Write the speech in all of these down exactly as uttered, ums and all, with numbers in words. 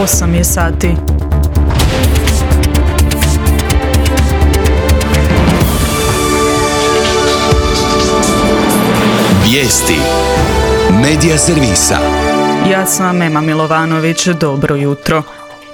osam je sati. Vijesti Medija servisa. Ja sam Ema Milovanović, dobro jutro.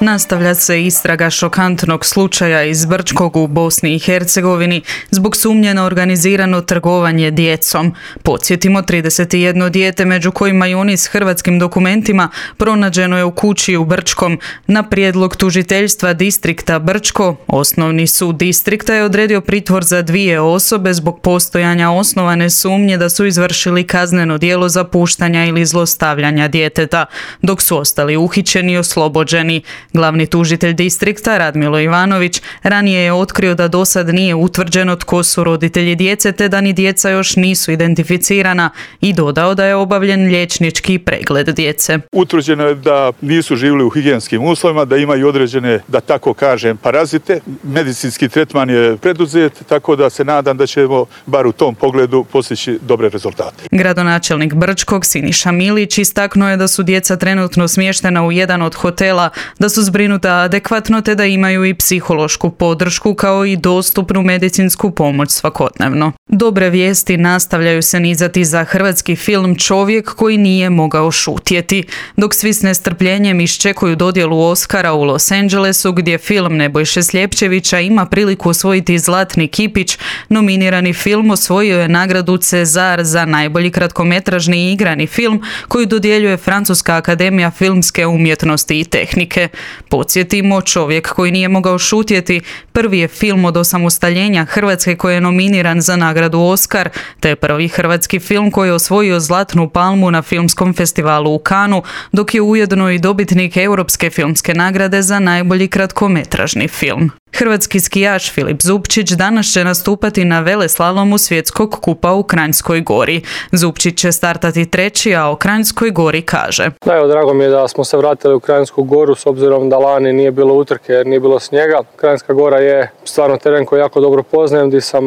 Nastavlja se istraga šokantnog slučaja iz Brčkog u Bosni i Hercegovini zbog sumnje na organizirano trgovanje djecom. Podsjetimo, trideset jedno dijete, među kojima i oni s hrvatskim dokumentima, pronađeno je u kući u Brčkom. Na prijedlog tužiteljstva distrikta Brčko, Osnovni sud distrikta je odredio pritvor za dvije osobe zbog postojanja osnovane sumnje da su izvršili kazneno djelo zapuštanja ili zlostavljanja djeteta, dok su ostali uhićeni i oslobođeni. Glavni tužitelj distrikta Radmilo Ivanović ranije je otkrio da do sad nije utvrđeno tko su roditelji djece te da ni djeca još nisu identificirana i dodao da je obavljen liječnički pregled djece. Utvrđeno je da nisu živjeli u higijenskim uslovima, da imaju određene, da tako kažem, parazite. Medicinski tretman je preduzet, tako da se nadam da ćemo bar u tom pogledu postići dobre rezultate. Gradonačelnik Brčkog Siniša Milić istaknuo je da su djeca trenutno smještena u jedan od hotela, da su zbrinuta adekvatno te da imaju i psihološku podršku kao i dostupnu medicinsku pomoć svakodnevno. Dobre vijesti nastavljaju se nizati za hrvatski film Čovjek koji nije mogao šutjeti. Dok svi s nestrpljenjem iščekuju dodjelu Oscara u Los Angelesu, gdje film Nebojše Sljepčevića ima priliku osvojiti Zlatni kipić, nominirani film osvojio je nagradu Cezar za najbolji kratkometražni igrani film koju dodjeljuje Francuska akademija filmske umjetnosti i tehnike. Podsjetimo, Čovjek koji nije mogao šutjeti prvi je film od osamostaljenja Hrvatske koji je nominiran za nagradu Oscar, te prvi hrvatski film koji je osvojio Zlatnu palmu na filmskom festivalu u Cannesu, dok je ujedno i dobitnik Europske filmske nagrade za najbolji kratkometražni film. Hrvatski skijaš Filip Zupčić danas će nastupati na veleslalomu svjetskog kupa u Kranjskoj Gori. Zupčić će startati treći, a o Kranjskoj Gori kaže: Da, evo, drago mi je da smo se vratili u Kranjsku Goru s obzirom da lani nije bilo utrke jer nije bilo snijega. Kranjska Gora je stvarno teren koji jako dobro poznajem, gdje sam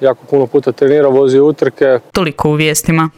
jako puno puta trenirao, vozio utrke. Toliko u vijestima.